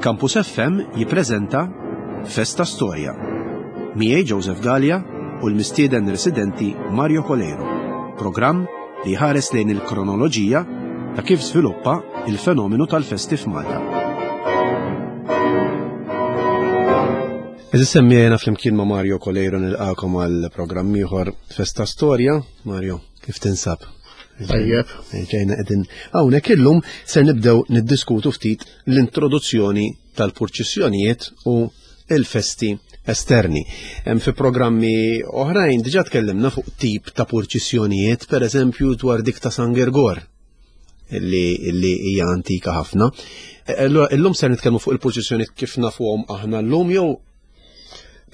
Campus FM jippreżenta Festa Storja. Miegħi Joseph Gallia u l-mistieden residenti Mario Coleiro. Programm li jħares lejn il-kronoloġija ta' kif żviluppa il-fenomenu tal-festi f'Malta. Eżis semmijajna flimkien ma' Mario Coleiro nilqakom għal programm ieħor Festa Storja. Mario, kif tinsab? Tajjeb. Ġejna qegħdin hawnhekk illum ser nibdew niddiskutu ftit l-introduzzjoni tal-purċissjonijiet u il-festi esterni. Hemm fi programmi oħrajn diġà tkellimna fuq tip ta' purċissjonijiet, per eżempju dwar dik ta' San Gergor li hija antika ħafna. E, allura illum ser nitkellmu fuq il-purċissjonijiet kif nafuhom aħna llum jew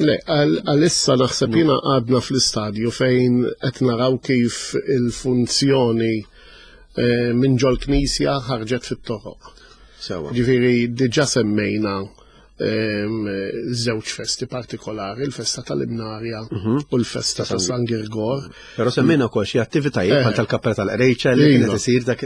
Le, għalissa naħseb jiena għadna fl-istadju fejn qed naraw kif il-funzjoni eh, minn ġol knisja ħarġet fit-toroq. Sewa. Ġifieri diġà semmejna ehm, żewġ festi partikolari, il-festa tal-Imnarja mhm. u l-festa ta' San Girgor. Però semmejna wkoll xi attivitajiet bħal eh. tal-Kappella tal-Qrejċa li kienet isir dak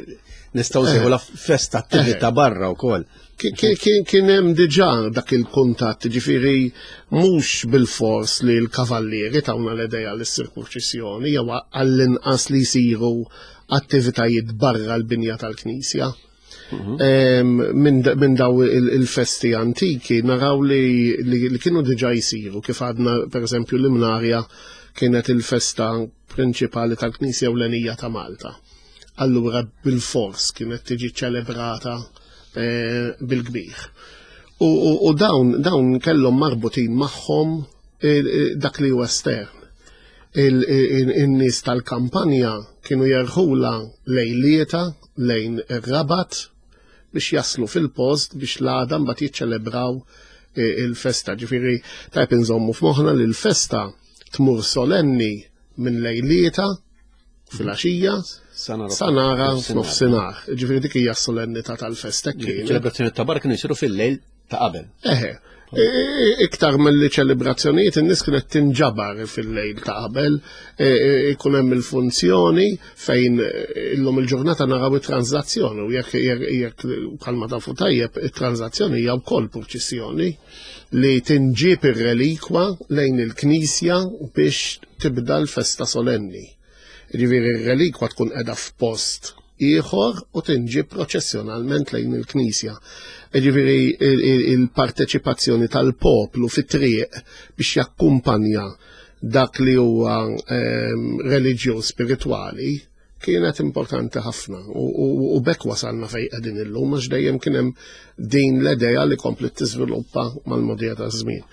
nistgħu eh. la festa attività barra wkoll. Kien hemm diġà dak il-kuntatt, ġifieri mhux bilfors li l-kavallieri tawna l-idea li ssir purċissjoni jew għall-inqas li jsiru attivitajiet barra l-binja tal-knisja. Mhm. Minn daw il-festi antiki naraw li kienu diġà jsiru kif għadna pereżempju l-Imnarja kienet il-festa prinċipali tal-Knisja Ewlenija ta' Malta. Allura bilfors kienet tiġi ċelebrata eh, bil-kbir. U dawn dawn kellhom marbutin magħhom eh, eh, dak li huwa estern. In-nies tal-kampanja kienu jerħula lejlieta lejn ir-Rabat biex jaslu fil-post biex l-għada mbagħad jiċċelebraw il-festa. Ġifieri tajb inżommu f'moħħna li l-festa tmur solenni minn lejlieta fil-għaxija sa nara f'nofsinhar. Ġifieri dik hija s-solennità tal-festa kien. Ċelebrazzjoni ta' barra kienu jsiru fil-lejl ta' qabel. Eħe. Iktar mill-li ċelebrazzjonijiet in-nies kienet tinġabar fil-lejl ta' qabel, ikun hemm il-funzjoni fejn illum il-ġurnata naraw it-transazzjoni u jekk jekk bħalma tafu tajjeb it-transazzjoni hija wkoll purċissjoni li tinġieb ir-relikwa lejn il-knisja biex tibda l-festa solenni. Jiġifieri r-relikwa tkun qiegħda f'post ieħor u tinġieb proċessjonalment lejn il-knisja. Jiġifieri il-parteċipazzjoni tal-poplu fit-triq biex jakkumpanja dak li huwa ehm, reliġjuż spiritwali kienet importanti ħafna u bekk wasalna fejn qegħdin illum għax dejjem kien hemm din l-idea li komplet tiżviluppa mal-modija taż-żmien.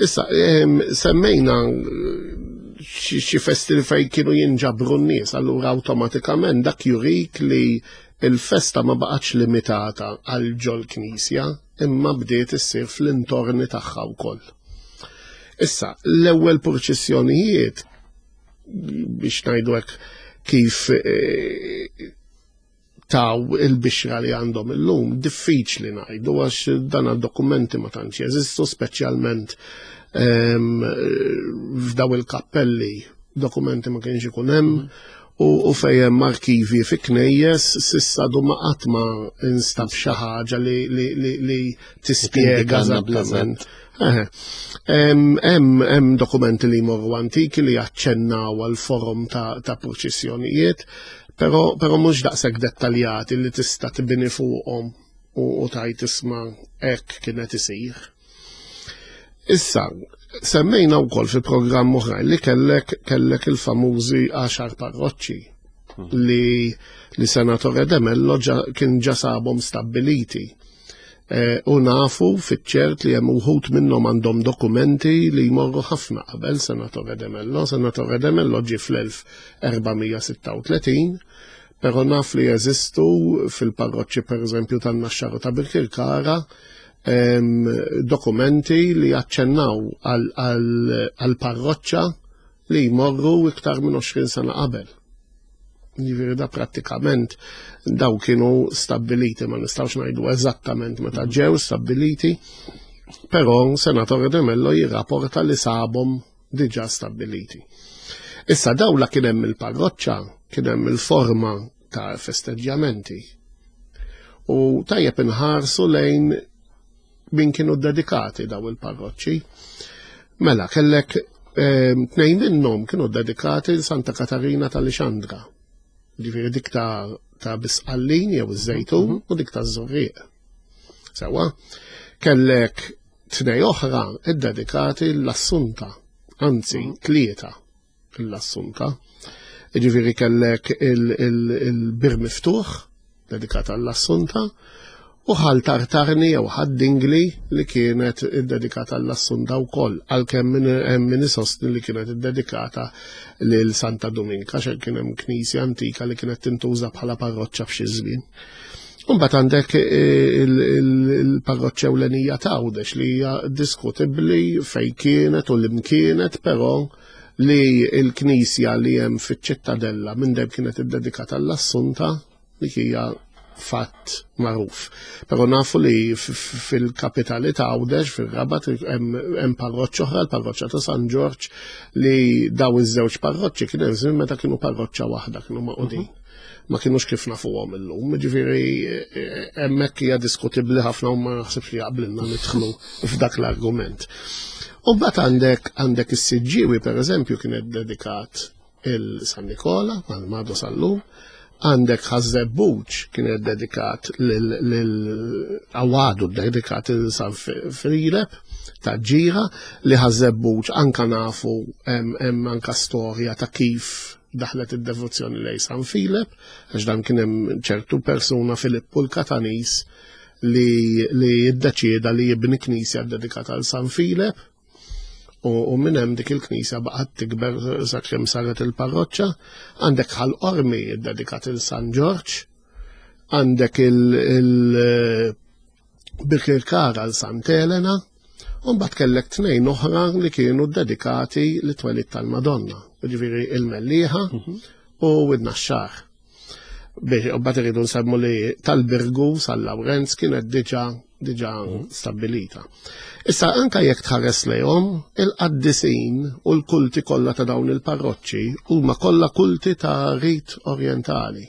Issa, ehm, semmejna xi festi li fejn kienu jinġabru n-nies, allura awtomatikament dak jurik li il-festa ma baqgħetx limitata għal ġol knisja, imma bdiet issir fl-intorni tagħha wkoll. Issa, l-ewwel purċissjonijiet biex ngħidu hekk kif eh, taw il-bixra li għandhom illum, diffiċli ngħidu għax dan dokumenti ma tantx jeżistu, speċjalment ehm, f'daw il-kappelli dokumenti ma kienx ikun hemm u fejn hemm arkivi fi knejjes s'issa du ma qatt ma instab xi ħaġa li, li, li, li tispjega eżattament. Hemm dokumenti li jmorru antiki li jaċċennaw għal forom ta', ta purċissjonijiet, però, però mhux daqshekk dettaljati li tista' tibni fuqhom u, u tajt isma' hekk kienet isir. Issa, semmejna wkoll fi programm oħrajn li kellek kellek il-famużi għaxar parroċċi hmm. li li Senatore De Mello kien ġa sabhom stabbiliti. Eh, u nafu fiċ-ċert li hemm uħud minnhom għandhom dokumenti li jmorru ħafna qabel Senatore De Mello. Senatore De Mello ġie fl-1436, però naf li jeżistu fil-parroċċi pereżempju tan-Naxxar u ta' Birkirkara dokumenti li jaċċennaw għal parroċċa li jmorru iktar minn 20 sena qabel. Jiġifieri da prattikament daw kienu stabbiliti, ma nistgħux ngħidu eżattament meta ġew stabbiliti, però Senatore De Mello jirrapporta li sabhom diġà stabbiliti. Issa daw la kien hemm il-parroċċa, kien hemm il-forma ta' festeġġjamenti. U tajjeb inħarsu lejn min kienu dedikati daw il-parroċċi. Mela, kellek tnejn minnhom kienu dedikati Santa Katarina tal-Ixandra. Ġifieri dik ta' ta' Bisqallin jew iż-Żejtun u dik ta' Żurrieq. Sewa, kellek tnej oħra iddedikati l-Assunta, anzi tlieta l-Assunta. Ġifieri kellek il-Bir Miftuħ dedikat għall-Assunta u Ħal Tartarni jew Ħad Dingli li kienet iddedikata għall-Assunta wkoll, għalkemm hemm min isostni li kienet iddedikata lil Santa Duminka xejn kien hemm knisja antika li kienet tintuża bħala parroċċa f'xi żmien. Imbagħad għandek il-parroċċa ewlenija ta' Għawdex li hija diskutibbli fejn kienet u l-imkienet, però li l-knisja li hemm fiċ-Ċittadella minn dejjem kienet iddedikata għall-Assunta, dik hija fatt magħruf. Però nafu li fil-kapitali ta' Għawdex, fir-Rabat, hemm parroċċa oħra, l-parroċċa ta' San Ġorġ, li daw iż-żewġ parroċċi kien hemm żmien meta kienu parroċċa waħda, kienu maqudin. Ma kienux kif nafuhom illum, ġifieri hemmhekk hija diskutibbli ħafna u ma naħsibx li jaqblilna nidħlu f'dak l-argument. U mbagħad għandek għandek is-Siġġiewi pereżempju kienet dedikat il-San Nikola, għal-Madu sal-lum, għandek Ħaż-Żebbuġ kienet dedikat lil għawadu dedikat il San Filep ta' ġira li Ħaż-Żebbuġ anka nafu hemm anka storja ta' kif daħlet id-devozzjoni lej San Filep, għax dan kien hemm ċertu persuna Filippu l-Katanis li li ddeċieda li jibni knisja dedikata għal San Filep u minn hemm dik il-knisja baqgħet tikber sakemm saret il-parroċċa. Għandek Ħal Qormi ddedikat il San Ġorġ, għandek il-Birkirkara għal Sant Elena, u mbagħad kellek tnejn oħra li kienu ddedikati li twelid tal-Madonna, ġifieri il-Mellieħa u n-Naxxar. Biex u bat irridu nsemmu li tal-Birgu San Lawrenz kienet diġa diġa stabbilita. Issa anka jekk tħares lejhom, il-qaddisin u l-kulti kollha ta' dawn il-parroċċi huma kollha kulti ta' rit orjentali.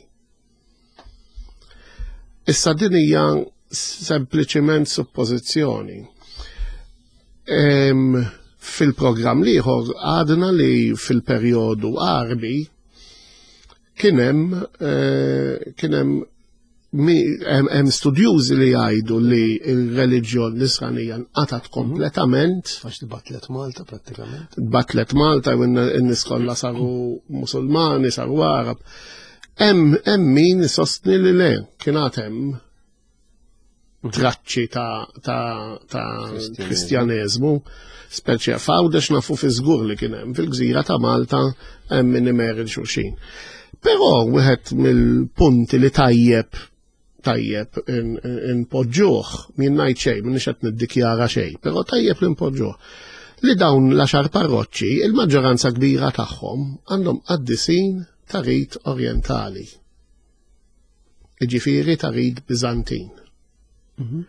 Issa din hija sempliċiment suppożizzjoni. Fil-programm l-ieħor għadna li fil-perjodu Għarbi kien hemm eh, kien hemm hemm studjużi li jgħidu li l-reliġjon nisranija nqatat kompletament. Għax tbatlet Malta prattikament. Batlet Malta u n-nies kollha saru Musulmani, saru Arab. Hemm min isostni li le, kien għad hemm traċċi ta', ta, ta kristjaneżmu, speċi f'Għawdex nafu fi żgur li kien hemm fil-gżira ta' Malta hemm min imeril xulxin. Però wieħed mill-punti li tajjeb tajjeb inpoġġuh, min ngħid xejn, minix qed niddikjara xejn, però tajjeb li npoġġuh. Li dawn l-għaxar parroċċi, il-maġġoranza kbira tagħhom għandhom qaddisin ta' rit orjentali. Jiġifieri ta' rid Biżantin. Mhm.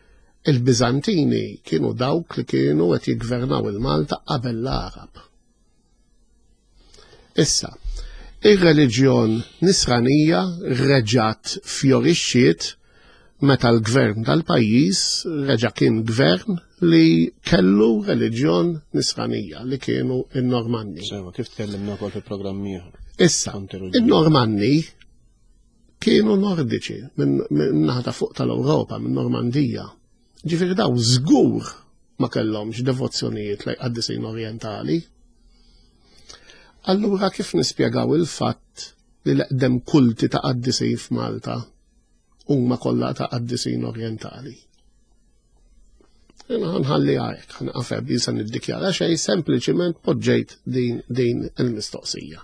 Il-Biżantini kienu dawk li kienu qed jiggvernaw il-Malta qabel l-Arab. Issa, ir-reliġjon nisranija reġgħet fjorixxiet meta l-gvern tal-pajjiż reġa' kien gvern li kellu reliġjon nisranija li kienu n-Normanni. Sewa, kif tkellimna wkoll fil-programm ieħor. Issa, in-Normanni kienu nordiċi minn naħa ta' fuq tal-Ewropa, minn Normandija. Ġifieri daw żgur ma kellhomx devozzjonijiet lejn qaddisin orjentali. Allura kif nispjegaw il-fatt li l-eqdem kulti ta' qaddisin f'Malta huma kollha ta' qaddisin orjentali? Nħalli għajek, ħanqafeb, jisa niddikjara xej, sempliċiment poġġejt din, din il-mistoqsija.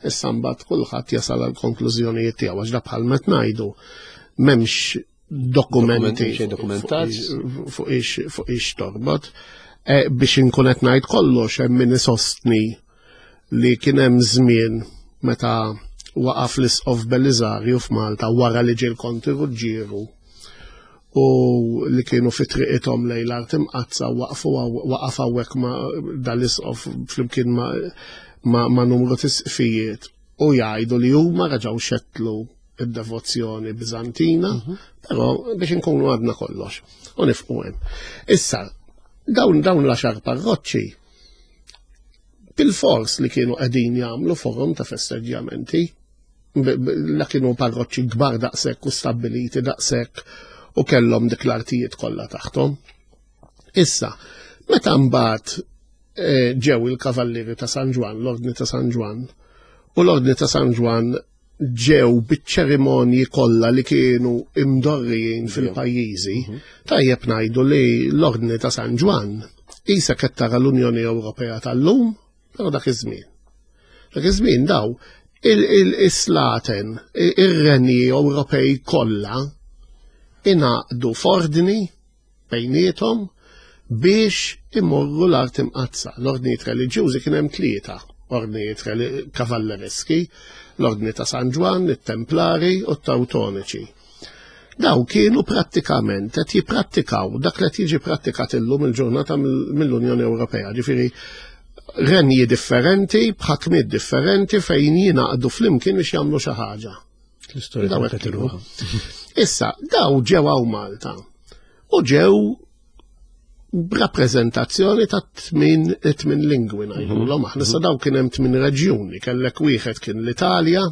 Issa mbagħad kulħadd jasal għal konklużjonijiet tiegħu għax da bħal meta ngħidu m'hemmx dokumenti fuq ix fuq ix torbot. E, biex inkun qed ngħid kollox hemm min isostni li kien hemm żmien meta waqaf l-Isqof Beliżarju f'Malta wara li ġie l-Konti Ruġġieru u li kienu fi triqithom lejn l-art imqaddsa waqfu waqaf hawnhekk ma' dal-isqof flimkien ma', ma, ma numru t'isqfijiet u jgħidu li huma reġgħu xettlu id-devozzjoni Bizantina, però biex inkunu għadna kollox u nifqu hemm. Issa, dawn dawn l-għaxar parroċċi bil-fors li kienu qegħdin jagħmlu forum ta' festeġġjamenti, la kienu parroċċi kbar daqshekk u stabbiliti daqshekk u kellhom dik l-artijiet kollha taħthom. Issa, meta mbagħad eh, ġew il-Kavallieri ta' San Ġwann, l-Ordni ta' San Ġwann, u l-Ordni ta' San Ġwann ġew biċ-ċerimonji kollha li kienu imdorrijin fil-pajjiżi, mhm. tajjeb ngħidu li l-Ordni ta' San Ġwann isa qed tara l-Unjoni Ewropea tal-lum, però dak iż-żmien. Dak iż-żmien daw il-slaten, ir-renji Ewropej kollha ingħaqdu f'ordni bejniethom biex imorru l-art imqaddsa. L-ordnijiet reliġjużi kien hemm tlieta ordnijiet kavallereski, l-ordni ta' San Ġwann, it-Templari u t-Tawtoniċi. Daw kienu prattikament qed jipprattikaw dak li qed jiġi prattikat illum il-ġurnata mill-Unjoni Ewropea, ġifieri renji differenti, b'ħakmiet differenti fejn jingħaqdu flimkien biex jagħmlu xi ħaġa. L-istorja Daw hekk kienu. Issa, daw ġew hawn Malta u ġew b'rappreżentazzjoni ta' tmin tmin lingwi ngħidulhom aħna. Issa daw kien hemm tmin reġjuni, kellek wieħed kien l-Italja,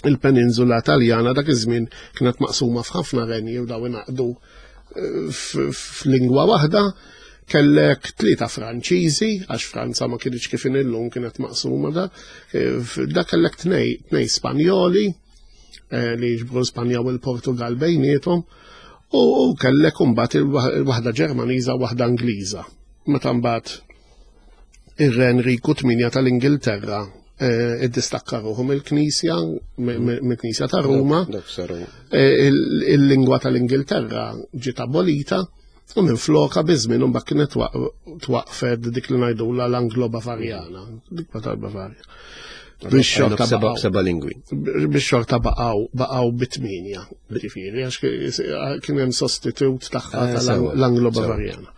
il-peninsula Taljana dak iż-żmien kienet maqsuma f'ħafna renji u daw ingħaqdu eh, f'lingwa waħda, kellek tlieta Franċiżi, għax Franza ma kienx kif illum kienet maqsuma da, eh, da kellek tnej, tnej Spanjoli eh, li jiġbru Spanja u l-Portugal bejniethom, u kellek imbagħad il-waħda Ġermaniża u waħda Ingliża. Meta mbagħad ir-Re Enriku 8 tal-Ingilterra eh, iddistakka ruħu mill-Knisja, mill-Knisja ta' Ruma. Il-lingwa tal-Ingilterra ġiet abolita u minn floka biż-żmien mbagħad kienet twaqfet dik li ngħidulha l-Anglo-Bavarjana, dik tal-Bavarja. Biex xorta seba lingwi. Biex xorta baqgħu baqgħu bit-tminja, ġifieri, għax kien hemm sostitut tagħha eh, tal-Anglo-Bavarjana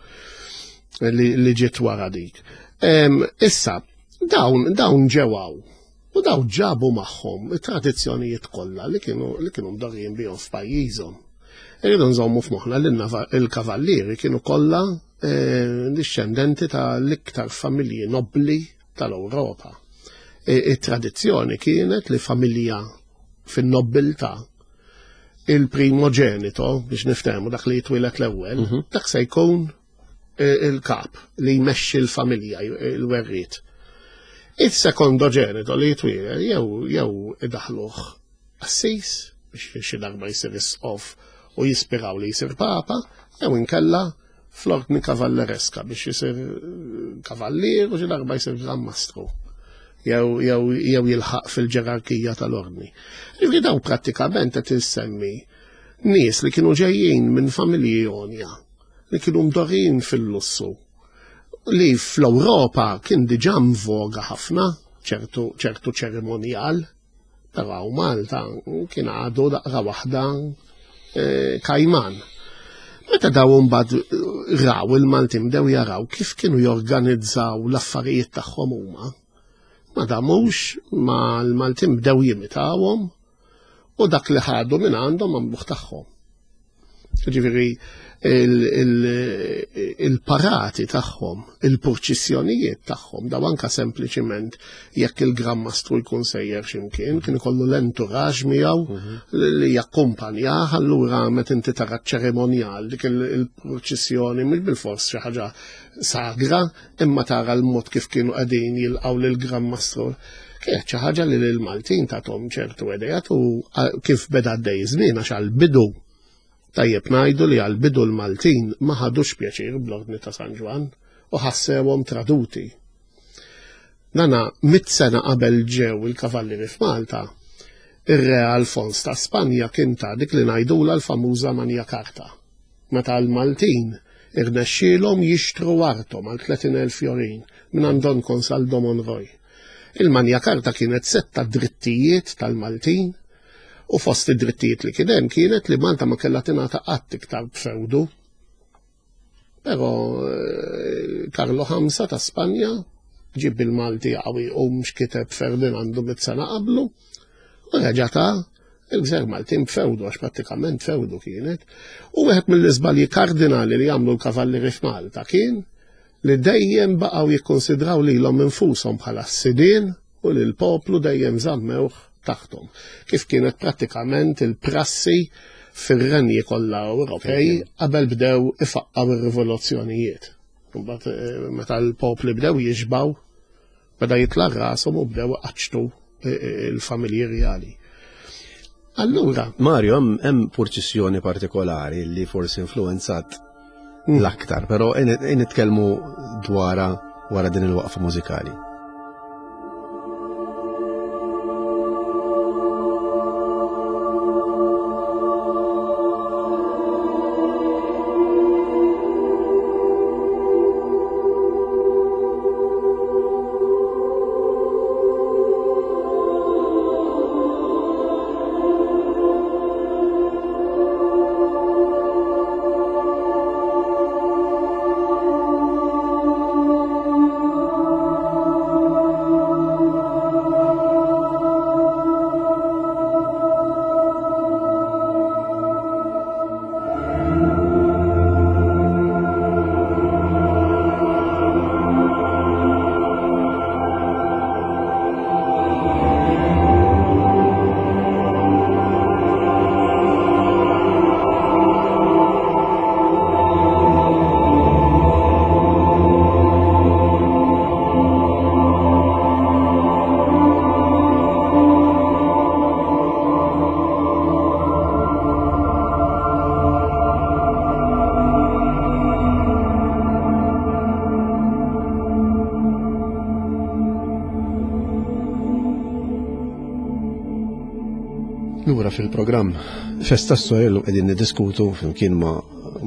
li ġiet wara dik. Issa, dawn dawn ġewaw u dawn ġabu magħhom it-tradizzjonijiet kollha li kienu li kienu mdorrijin bihom f'pajjiżhom. Irridu nżommu f'moħħna li l-kavallieri kienu kollha eh, discendenti ta' l-iktar familji nobbli tal-Ewropa. E, it-tradizzjoni kienet li familja fin-nobbiltà il-primogenito biex niftehmu dak li jitwieled l-ewwel, mhm. dak se jkun il-kap li jmexxi l-familja, il-werriet. Il-sekondoġenito li jitwieled jew jew idaħluh qassis biex xi darba jsir isqof u jispiraw li jsir papa, jew inkella fl-ordni kavallereska biex jisir kavallier u xi darba jsir gran mastru jew jew jew jilħaq fil-ġerarkija tal-ordni. Ġifieri dawn prattikament qed insemmi nies li kienu ġejjin minn familji għonja li kienu mdorrijin fil-lussu li fl-Ewropa kien diġà mvoga ħafna ċertu ċertu ċerimonjal, però hawn Malta kien għadu daqra waħda eh, kajman. Meta daw mbagħad eh, raw il-Maltin bdew jaraw kif kienu jorganizzaw l-affarijiet tagħhom huma, ma damux ma l-Maltin bdew jimitawhom u dak li ħadu minn għandhom għamluh tagħhom. Ġifieri il-parati tagħhom, il-purċissjonijiet tagħhom, daw anka sempliċiment jekk il-Gran Mastru jkun sejjer x'imkien, kien ikollu l-entourage miegħu mhm. li jakkumpanjah, allura meta inti tara ċ-ċerimonjal dik il-purċissjoni mhux bil-fors xi ħaġa sagra, imma tara l-mod kif kienu qegħdin jilqgħu lill-Gran Mastru. Kienet xi ħaġa li lill-Maltin tagħthom ċertu idejat u kif beda għaddej żmien għax għall-bidu tajjeb ngħidu li għall-bidu l-Maltin ma ħadux pjaċir bl-Ordni ta' San Ġwann u ħassewhom traduti. Dana mit sena qabel ġew il-kavallieri f'Malta, ir-Re Alfons ta' Spanja kien ta dik li ngħidulha l-famuża Magna Carta. Meta l-Maltin irnexxielhom jixtru arthom għal 30,000 fjorin mingħand Don Consaldo Monroy. Il-Magna Carta kienet sett ta' drittijiet tal-Maltin u fost id-drittijiet li kien hemm kienet li Malta ma kellha tingħata qatt iktar b'fewdu. Però eh, Karlo V ta' Spanja ġib bil-Malti qawwi u mhux kiteb Ferdinandu mit sena qablu u reġa' ta' Il-Gżejjer Maltin fewdu għax prattikament fewdu kienet. U wieħed mill-iżbalji kardinali li għamlu l-kavallieri f'Malta kien li dejjem baqgħu jikkonsidraw lilhom infushom bħala s-sidien u li l-poplu dejjem żammewh taħthom. Kif kienet prattikament il-prassi fir-renji kollha Ewropej qabel bdew ifaqqaw ir-rivoluzzjonijiet. Mbagħad eh, meta l-popli bdew jixbaw, beda jitla' rashom u bdew iqaċċtu eh, eh, il-familji rjali. Allura. Mario, hemm purċissjoni partikolari li forsi influenzat mm. l-aktar, però nitkellmu dwara wara din il-waqfa mużikali. Lura fil-programm Festa Storja l qegħdin niddiskutu flimkien ma'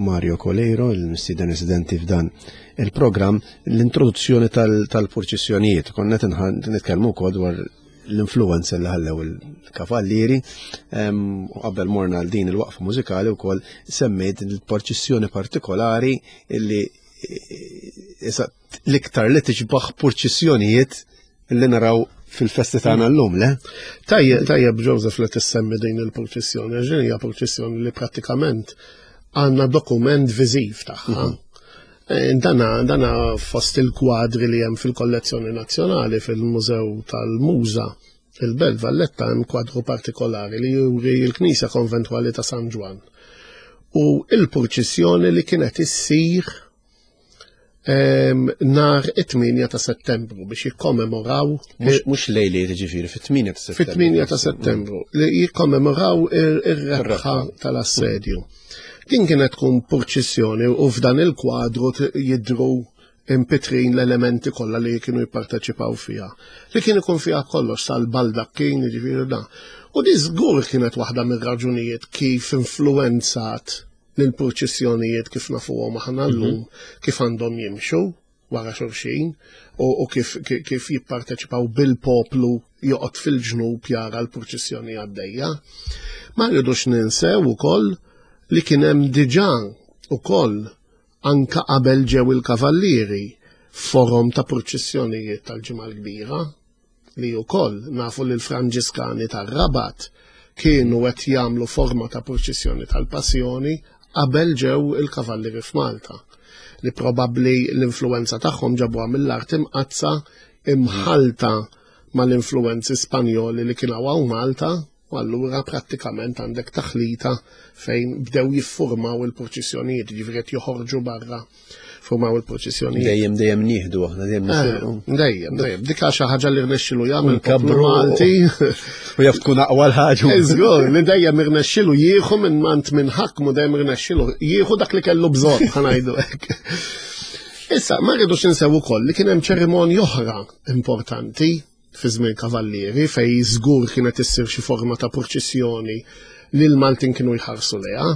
Mario Coleiro, il-mistieden residenti f'dan il-programm, l-introduzzjoni tal-purċissjonijiet. Konna nitkellmu wkoll dwar l-influenza li ħallew il-kavallieri u qabel morna għal din il-waqfa mużikali wkoll semmejt il-purċissjoni partikolari li l-iktar li tiġbaħ purċissjonijiet li naraw fil-festi tagħna llum, le? Tajjeb, tajjeb Joseph li tissemmi din il-purċissjoni, għax din hija purċissjoni li prattikament għandna dokument viżiv tagħha. Mhm. Eh, dana, dana fost il-kwadri li hemm fil-kollezzjoni nazzjonali fil-Mużew tal-Muża il-Belt Valletta hemm kwadru partikolari li juri l-Knisja Konventwali ta' San Ġwann u il-purċissjoni li kienet issir nar it-8 ta' settembru biex jikkommemoraw. Mhux lejli ġifieri fit-8 ta' settembru. Fit-8 ta' settembru li jikkommemoraw ir-rebħa tal-assedju. Din kienet tkun purċissjoni u f'dan il-kwadru jidru impitrin l-elementi kollha li kienu jipparteċipaw fiha. Li kien ikun fiha kollox sal-baldakkin, jiġifieri da. U di żgur kienet waħda mir-raġunijiet kif influenzat l-purċissjonijiet kif nafuhom aħna mhm. llum kif għandhom jimxu wara xulxin u kif, kif jipparteċipaw bil-poplu joqgħod fil-ġnub jara l-purċissjoni għaddejja. Ma rridux ninsew ukoll li kien hemm diġà ukoll anka qabel ġew il-kavallieri forom ta' purċissjonijiet tal-ġimgħa l-kbira li wkoll nafu li l-Franġiskani tar-Rabat kienu qed jagħmlu forma ta' purċissjoni tal-Passjoni qabel ġew il-Kavallieri f'Malta, li probabbli l-influwenza tagħhom ġabuha mill-Art Imqaddsa imħallta mal-influwenzi Spanjoli li kien hawn Malta U allura prattikament għandek taħlita fejn bdew jiffurmaw il-purċissjonijiet, ġifieri qed joħorġu barra formaw il-purċissjonijiet. Dejjem dejjem nieħdu aħna dejjem eh, nisirqu. Dejjem, dejjem. Dik xi ħaġa li rnexxilu jagħmel poplu Malti. U jaf tkun aqwa l-ħaġa. Żgur, li dejjem irnexxilu jieħu minn mant minn ħakmu dejjem irnexxilu jieħu dak li kellu bżonn ħanajdu hekk. Issa, ma rridux insew ukoll li kien hemm ċerimonji oħra importanti fi żmien Kavallieri fejn żgur kienet issir xi forma ta' purċissjoni li l-Maltin kienu jħarsu lejha,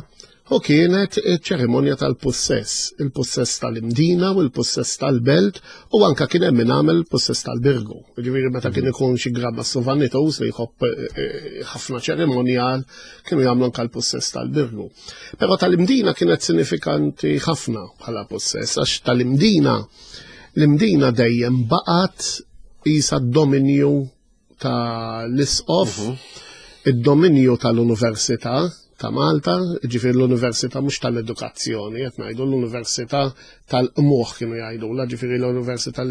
u kienet ċerimonja tal-pussess, il-pussess tal-Imdina u l-pussess tal-Belt u anka kien hemm min għamel il-pussess tal-Birgu. Ġifieri meta kien ikun xi grabba sovanitus li jħobb eh, eh, ħafna ċerimonjal kienu jagħmlu anka l-pussess tal-Birgu. Però tal-Imdina kienet sinifikanti ħafna bħala pussess għax tal-Imdina L-Imdina dejjem baqgħet qisha d-dominju ta' l-isqof mhm. Id-dominju tal-Università ta' Malta, ġifieri l-Università mhux tal-edukazzjoni, qed ngħidu l-Università tal-qmuħ kienu jgħidulha, ġifieri l-Università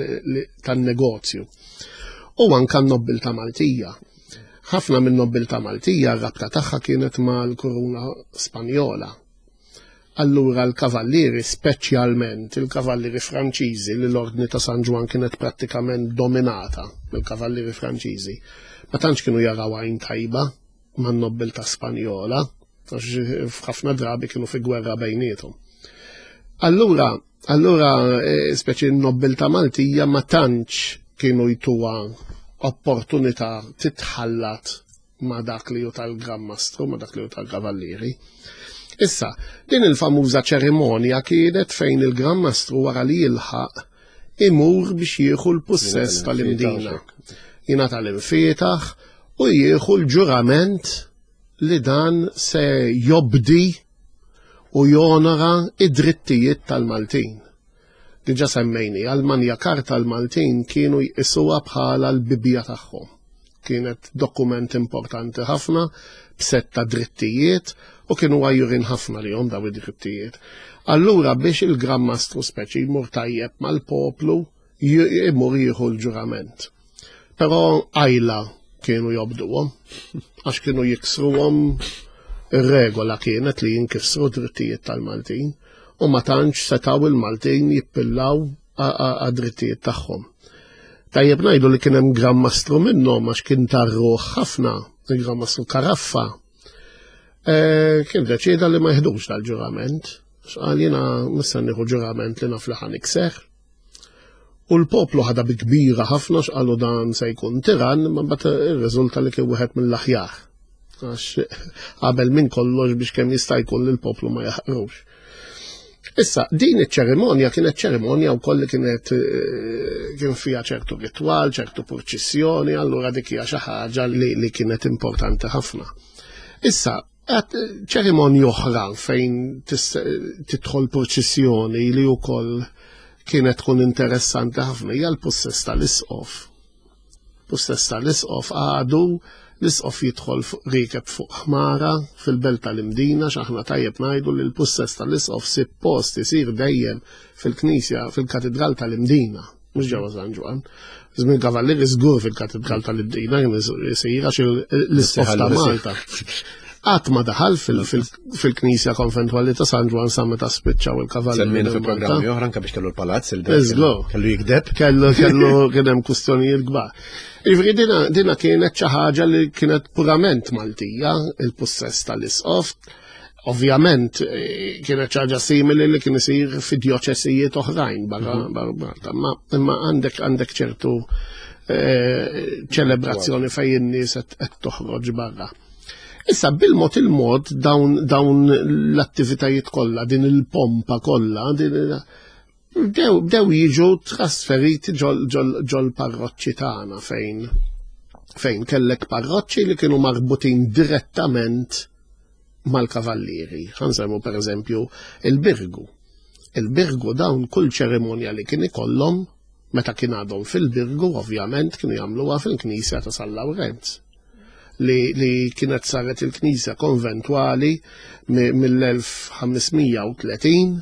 tan-negozju. U anka n-nobbiltà Maltija. Ħafna minn nobbiltà Maltija r-rabta tagħha kienet mal-Kuruna Spanjola. Allura l-kavallieri, speċjalment il-kavallieri Franċiżi li l-Ordni ta' San Ġwann kienet prattikament dominata mill-kavallieri Franċiżi, ma tantx kienu jaraw għajn tajba man-nobbiltà Spanjola, għax f'ħafna drabi kienu fi gwerra bejniethom. Allura, allura eh, speċi n-nobbiltà Maltija ma tantx kienu jtuha opportunità titħallat ma dak li hu tal-Gran Mastru, ma dak li hu tal-Kavallieri. Issa, din il-famuża ċerimonja kienet fejn il-Gran Mastru wara li jilħaq imur biex jieħu l-pussess tal-Imdina. Jingħata l-imfietaħ u jieħu l-ġurament li dan se jobdi u jonora id-drittijiet tal-Maltin. Diġa semmejni, għal-Manja Karta l-Maltin kienu jqisuha bħala l-Bibbja tagħhom. Kienet dokument importanti ħafna b'sett ta' drittijiet u kienu għajjurin ħafna li daw id-drittijiet. Allura biex il-Gran Mastru speċi jmur tajjeb mal-poplu jmur jieħu l-ġurament. Però għajla kienu jobduhom, għax kienu jiksruhom ir-regola kienet li jinkisru drittijiet tal-Maltin u ma tantx setaw il-Maltin jippillaw għad-drittijiet tagħhom. Tajjeb ngħidu li kien hemm Gran Mastru minnhom għax kien tarruħ ħafna, il-Gran Mastru Karaffa. E, kien deċieda li ma jħdux dal-ġurament. X'qal jiena missa nieħu ġurament li naf li ħa nikser. U l-poplu ħadha bi kbira ħafna x'qalu dan se jkun tiran, ma mbagħad irriżulta li kien wieħed mill-aħjar. Għax qabel minn kollox biex kemm jista' jkun li l-poplu ma jaħqrux. Issa, din iċ-ċerimonja kienet ċerimonja wkoll li kienet eh, kien fiha ċertu ritwal, ċertu purċissjoni, allura dik hija xi ħaġa li, li kienet importanti ħafna. Issa, ċerimonja oħra fejn tidħol purċissjoni li wkoll kienet tkun interessanti ħafna hija l-pussess tal-isqof. Pussess tal-isqof għadu l-isqof jidħol rikeb fuq ħmara fil-belt tal-Imdina x'aħna tajjeb ngħidu li l-pussess tal-isqof suppost isir dejjem fil-knisja fil-katedral tal-Imdina mhux ġewwa San Ġwann. Żmien Kavallieri żgur fil-Katedral tal-Imdina kien isir għax l-isqof ta' Malta. Qatt ma daħal fil-Knisja Konventwali ta' San Ġwann sa meta spiċċaw il-Kavallieri. Semmejna fil-programmi oħra anke biex kellu l-palazz il Kellu jikdeb. Kellu kellu kien hemm kwistjonijiet kbar. Jiġifieri dina kienet xi ħaġa li kienet purament Maltija, il-pussess tal-isqof. Ovvjament eh, kienet ħaġa simili li kien isir fi djoċesijiet oħrajn barra mhm. Malta, imma għandek għandek ċertu eh, ċelebrazzjoni fejn in-nies qed toħroġ barra. Issa bil-mod il-mod dawn, dawn l-attivitajiet kollha, din il-pompa kollha, bdew jiġu trasferiti ġol parroċċi tagħna fejn fejn kellek parroċċi li kienu marbutin direttament mal-kavallieri. Ħansemmu per eżempju il-Birgu. Il-Birgu dawn kull ċerimonja li kien ikollhom meta kien għadhom fil-Birgu ovvjament kienu jagħmluha fil-Knisja ta' San Lawrenz li, li kienet saret il-Knisja konventwali mill-1530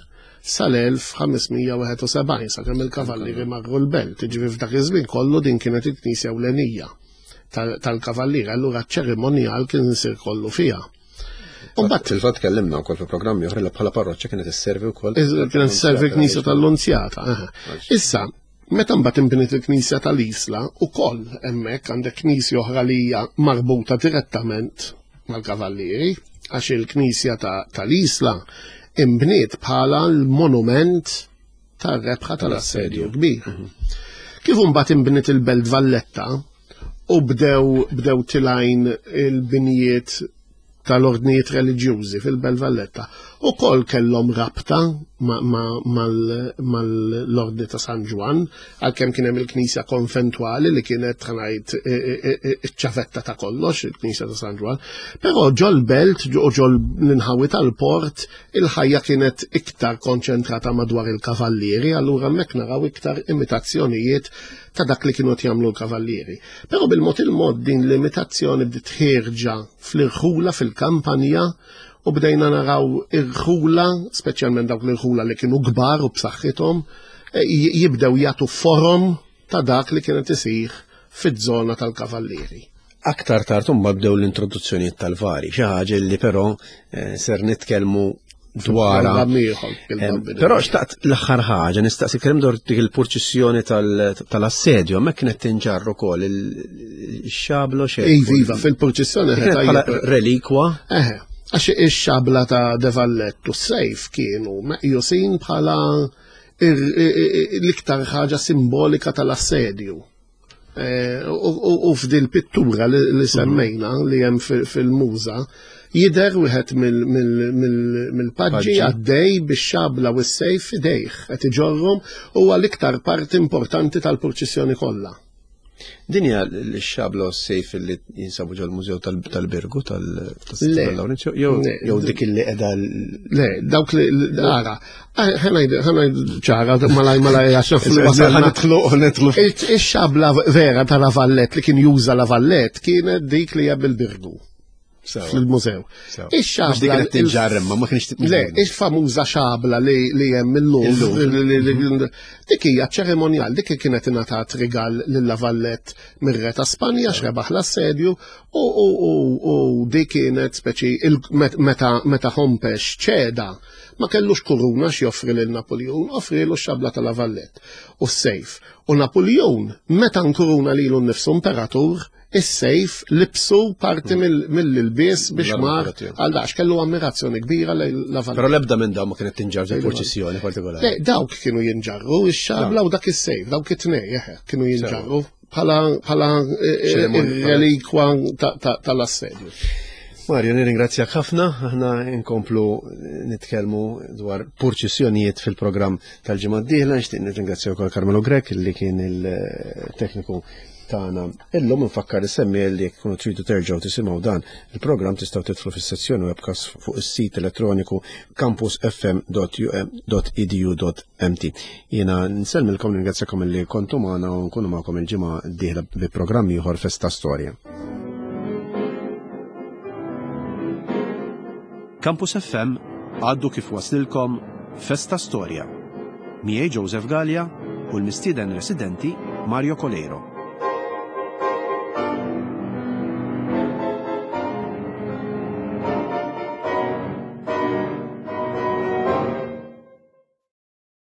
sal-1571 sakemm il-kavallieri marru l-belt. Ġifieri f'dak iż-żmien kollu din kienet il-Knisja ewlenija tal-kavalliera, allura ċ-ċerimonjal kien isir kollu fiha. Umbat fil-fatt kellimna wkoll fi programmi oħra li bħala parroċċa kienet isservi wkoll. Kienet isservi knisja tal-Lunzjata. Issa, meta mbagħad inbniet il-knisja tal-Isla, ukoll hemmhekk għandek knisja oħra li hija marbuta direttament mal-kavallieri, għax il-knisja tal-Isla imbniet bħala l-monument tar-rebħa tal-assedju kbir. Mhm. Kif imbagħad inbniet il-Belt Valletta u bdew bdew tilajn il-binjiet tal-ordnijiet reliġjużi fil-Belt Valletta u kol kellhom rabta mal-ordni ta' San Ġwann, għalkemm kien hemm il-knisja konventwali li kienet ħanajt iċ-ċavetta ta' kollox, il-knisja ta' San Ġwann, però ġol-belt u ġol l-inħawi tal-port Il-ħajja kienet iktar konċentrata madwar il-kavallieri, allura hemmhekk naraw iktar imitazzjonijiet ta' dak li kienu jagħmlu l-kavallieri. Però bil-mod il-mod din l-imitazzjoni bdiet ħierġa fl-irħula fil-kampanja u bdejna naraw irħula, speċjalment dawk l-irħula li kienu kbar u b'saħħithom, eh, jibdew jagħtu forom ta' dak li kienet isir fiż-żona tal-kavallieri. Aktar tard imbagħad bdew l-introduzzjonijiet tal-vari, xi ħaġa li però eh, ser nitkellmu dwarha. Però xtaqt l-aħħar ħaġa nistaqsi kemm dwar dik il-purċissjoni tal-assedju, hemmhekk kienet tinġarru wkoll il-xablo xejn. Iva, iva, fil-purċissjoni bħala relikwa. Eħe, għax ix-xabla ta' De Vallettu s-sejf kienu meqjusin bħala l-iktar ħaġa simbolika tal-assedju. Eh, u f'dil pittura li mhm. semmejna li hemm fil-muża, jider wieħed mill-paġġi għaddej bix-xabla u s-sejf f'idejh qed iġorrhom huwa l-iktar parti importanti tal-purċissjoni kollha. Din hija l-xabla u s-sejf li jinsabu ġol mużew tal-Birgu tal-Lawrenzio jew dik li qiegħda Le, dawk li ara, ħanajd ċara malaj malaj għax naf li wasalna. Nitlu nitlu. Ix-xabla vera ta' Lavallet li kien juża Lavallet kienet dik li hija bil-Birgu fil-mużew. Ix-xabla. Dik kienet tinġarr imma ma kienx Le, il-famuża xabla li hemm illum. Dik hija ċeremonjal, dik kienet ingħatat rigal lil Lavallet mir-re ta' Spanja x'rebaħ l-assedju u dik kienet speċi meta Hompex ċeda ma kellux kuruna x'joffri lil Napoleon, offrilu x-xabla ta' Lavallet u s-sejf. U Napoleon meta nkuruna lilu nnifsu imperatur, is-sejf libsu parti hmm. mill-ilbies biex mar għal dax kellu ammirazzjoni kbira lejn la Però l-ebda minn dawn ma kienet tinġarr fil purċissjoni partikolari. Le, dawk kienu jinġarru, ix-xabla u dak is-sejf, dawk it-tnej, kienu jinġarru bħala eh, eh, relikwa tal-assedju. Mario, nirringrazzjak ħafna, aħna nkomplu nitkellmu dwar purċissjonijiet fil-programm tal-ġimgħa d-dieħla, nixtieq nirringrazzja wkoll Carmelo Grek li kien il-tekniku tagħna. Illum nfakkar is-semmi li jekk tkunu tridu terġgħu tisimgħu dan il-programm tistgħu tidħlu fis-sezzjoni webcast fuq is-sit elettroniku campusfm.um.edu.mt. Jiena nsellmilkom nirringrazzjakom li kontu magħna u nkunu magħkom il-ġimgħa d-dieħla bi programm ieħor Festa Storja. Campus FM għaddu kif waslilkom Festa Storja. Miegħi Joseph Gallia u l-mistieden residenti Mario Coleiro.